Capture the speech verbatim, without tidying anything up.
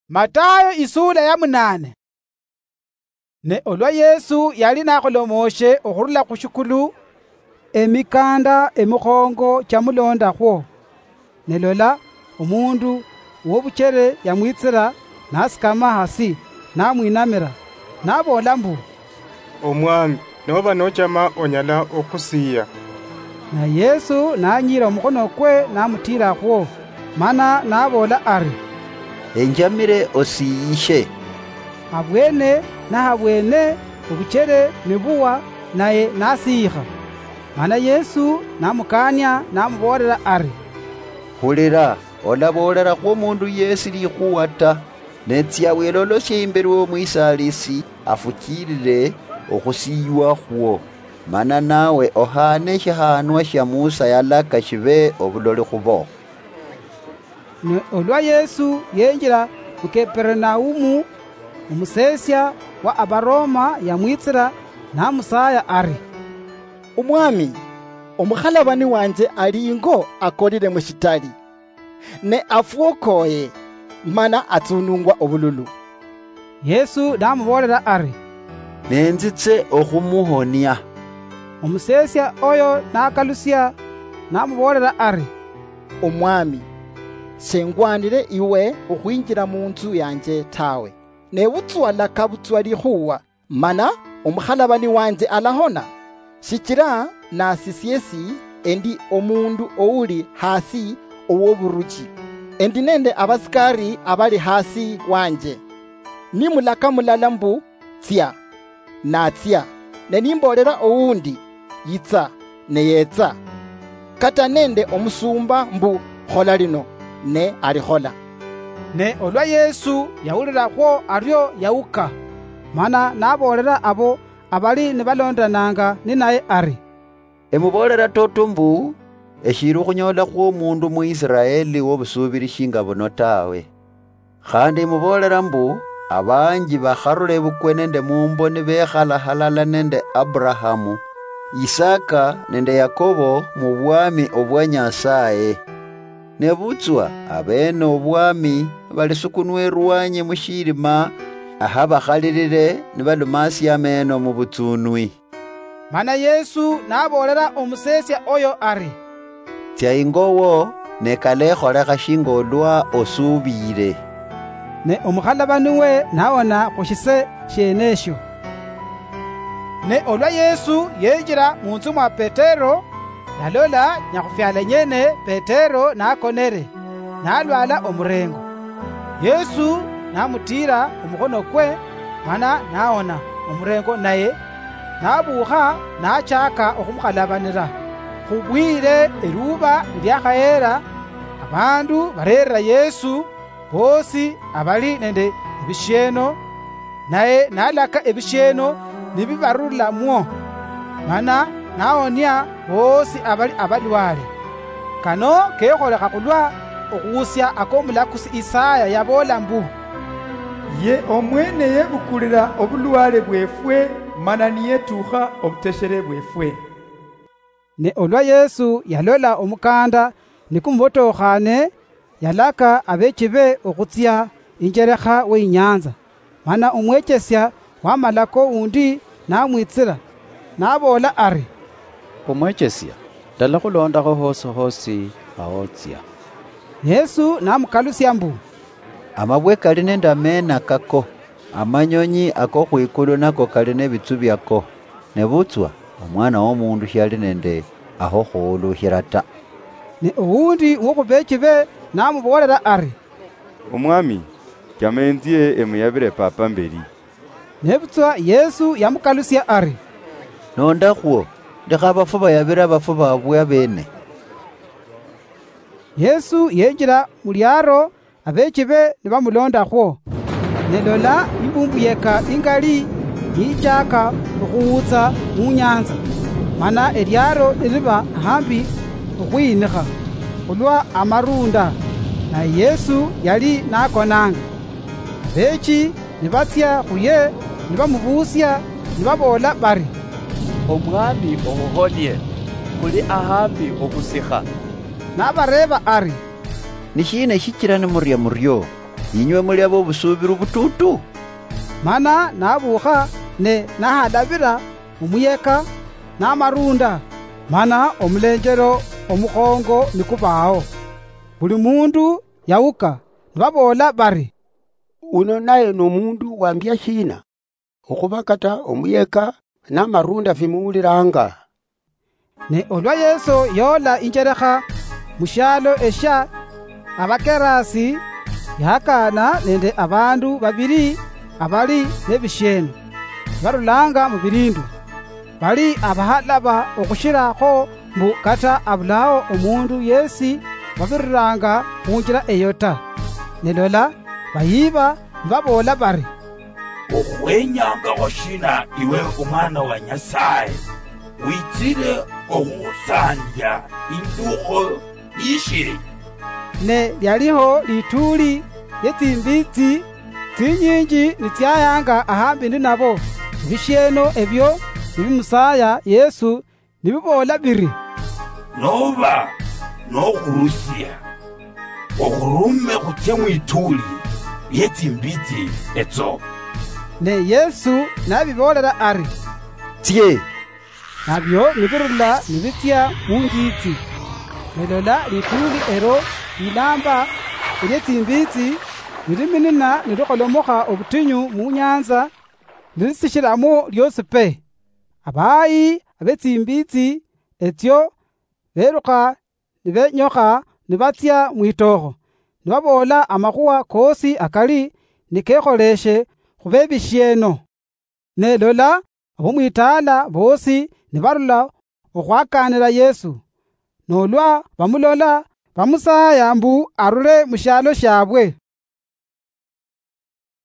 Matayo isuula ya munaane. Ne olwa Yesu yali nakholomooshe okhurula khu shikulu, emikanda emikhongo chamuloondakhwo. Ne lola, omundu wobuchere yamwitsira, nasikama hasi, namwinamira, naboola mbu, "Omwami, noba nochama onyala okhusiya." Na Yesu nanyiira omukhonokwe namutiirakhwo, mana naboola ari, "Enjamire osiyishe." Habwene nahabwene obuchere nibuwa, naye nasiyikha. Mana Yesu namukaania namuboolera ari, "Hulira, olaboolerakhwo omundu yesi likhuwa ta, ne tsia wiloloshe imberi womwisaalisi afuchilile okhusiywakhwo, mana nawe ohaane eshihaanwa shia Musa yalaka shibe obuloli khubo." Ne olwa Yesu yenjira mu Keperenaumu, omuseesia wa Abaroma yamwitsira namusaaya ari, "Omwami, omukhalabani wanje ali ingo akolile mushitali, ne afwokoye, mana atsunungwa obululu." Yesu namuboolera ari, "Nenzitse okhumuhonia." Omuseesia oyo nakalusia namuboolera ari, "Omwami, shengwanire iwe okhwinjira munzu yanje tawe, nebutswa laka butswa likhuwa, mana omukhalabani wanje alahona, shichira nasisiesi endi omundu ouli hasi owoburuchi, endi nende abasikari abali hasi wanje. Nimulaka mulala mbu, 'Tsia,' natsia, ne nimboolera owundi, 'Yitsa,' ne yetsa. Kata nende omusumba mbu, 'Khola lino,' ne alikhola." Ne olwa Yesu yawulirakhwo ario yawuka, mana naboolera abo abali nibalondananga ninaye ari, "Emuboolera toto mbu, eshili okhunyoolakhwo omundu mu Isiraeli wobusuubiri shinga buno tawe. Khandi emuboolera mbu, abanji bakharula ebukwe nende mumbo nibekhala halala nende Abrahamu, Isaka nende Yakobo mubwami obwa Nyasaye. Nebutswa abene obwami balisukunwa erwanyi mushirima ahabakhalilile nibalumasia ameno mubutsunwi." Mana Yesu naboolera omuseesia oyo ari, "Tsia ingo wo, ne kalekholekha shinga olwa osuubire." Ne omukhalabani we nawona khushise shienesho. Ne olwa Yesu yenjira munzu mwa Petero, nalola nyakhufyala nyene Petero nakonere, nalwala omurengo. Yesu namutiira omukhonokwe, mana naona omurengo, naye nabuukha nachaka okhumukhalabanira. Khubwire eruuba niliakhayera, abandu bareerera Yesu boosi abali nende ebishieno, naye nalaka ebishieno nibibarulamwo, mana naonia boosi abali abalwale. Kano kekholekha khulwa okhuwusia akomulakusi Isaya yaboola mbu, "Ye omwene yebukulira obulwale bwefwe, mana niyetukha obuteshere bwefwe." Ne olwa Yesu yalola omukanda nikumubotokhane, yalaka abeechibe okhutsia injerekha weinyanza. Mana omwechesia wamalako undi namwitsira, naboola ari, "Omwechesia, ndalakhulondakho hosi hosi ahotsia." Yesu namukalusia mbu, "Amabwe kali nende ameena kako, amanyonyi ako khwikulu nako kali nebitsu biako, nebutswa Omwana womundu shiali nende aho khuhuluhira ta." Ne owundi wokhubeechibe namuboolera ari, "Omwami, chama enzie emuyabire papa mberi." Nebutswa Yesu yamukalusia ari, "Nondakhwo, lekha abafu bayabire abafu babwe abeene." Yesu yenjira muliaro, abeechibe nibamulondakhwo. Ne lola, imbumbuyeka ingali niyichaaka okhuwutsa munyanza, mana eliaro niliba ahambi okhwiyinikha khulwa amarunda, naye Yesu yali nakonanga. Abeechi nibatsia khuye nibamubuusia, nibaboola bari, "Omwami, ohuhonie, khuli ahambi okhusikha." Nabareeba ari, "Nishiina shichira nimuria murio? inywe muli abobusuubiro butuutu? Mana nabuukha ne nahalabira omuyeka namarunda, mana omulenjero omukhongo nikubaawo. Buli mundu yawuka, nibaboola bari, "Uno naye nomundu wambia shiina? Okhuba kata omuyeka namarunda fimuwuliranga." Ne olwa Yesu yoola injerekha mushialo eshia Abakerasi, yahakana nende abandu babili abali nebishieno, barulanga mubilindu. Bali abahalaba okhushilakho mbu kata abulao omundu yesi wabiriranga khunjila eyo ta. Ne lola, bayiba nibaboola bari, "Okhwenyangakho shina iwe omwana wa Nyasaye? Witsile okhukhusandia indukho yishili." Ne lialiho lituuli lietsimbitsi tsinyinji nitsiayanga ahambi ninabo, ebishieno ebio nibimusaya Yesu nibiboola biri, "Noba nokhurusia, okhurume khutsie mwituuli lietsimbitsi etso." Ne Yesu nabiboolela ari, "Tsie." Nabio nibirula nibitsia munjitsi. Ne lola, lituuli elo lilamba elie tsimbitsi niliminina nilikholomokha obutinyu munyanza, nilitsishilamo liosi pe. Abayi abetsimbitsi etsio belukha nibenyokha nibatsia mwitookho, nibaboola amakhuwa koosi akali nikekholeshe khubebishieno. Ne lola, abomwitaala boosi nibarula okhwakanira Yesu, nolwa bamulola, bamusaya mbu arule mushialo shiabwe.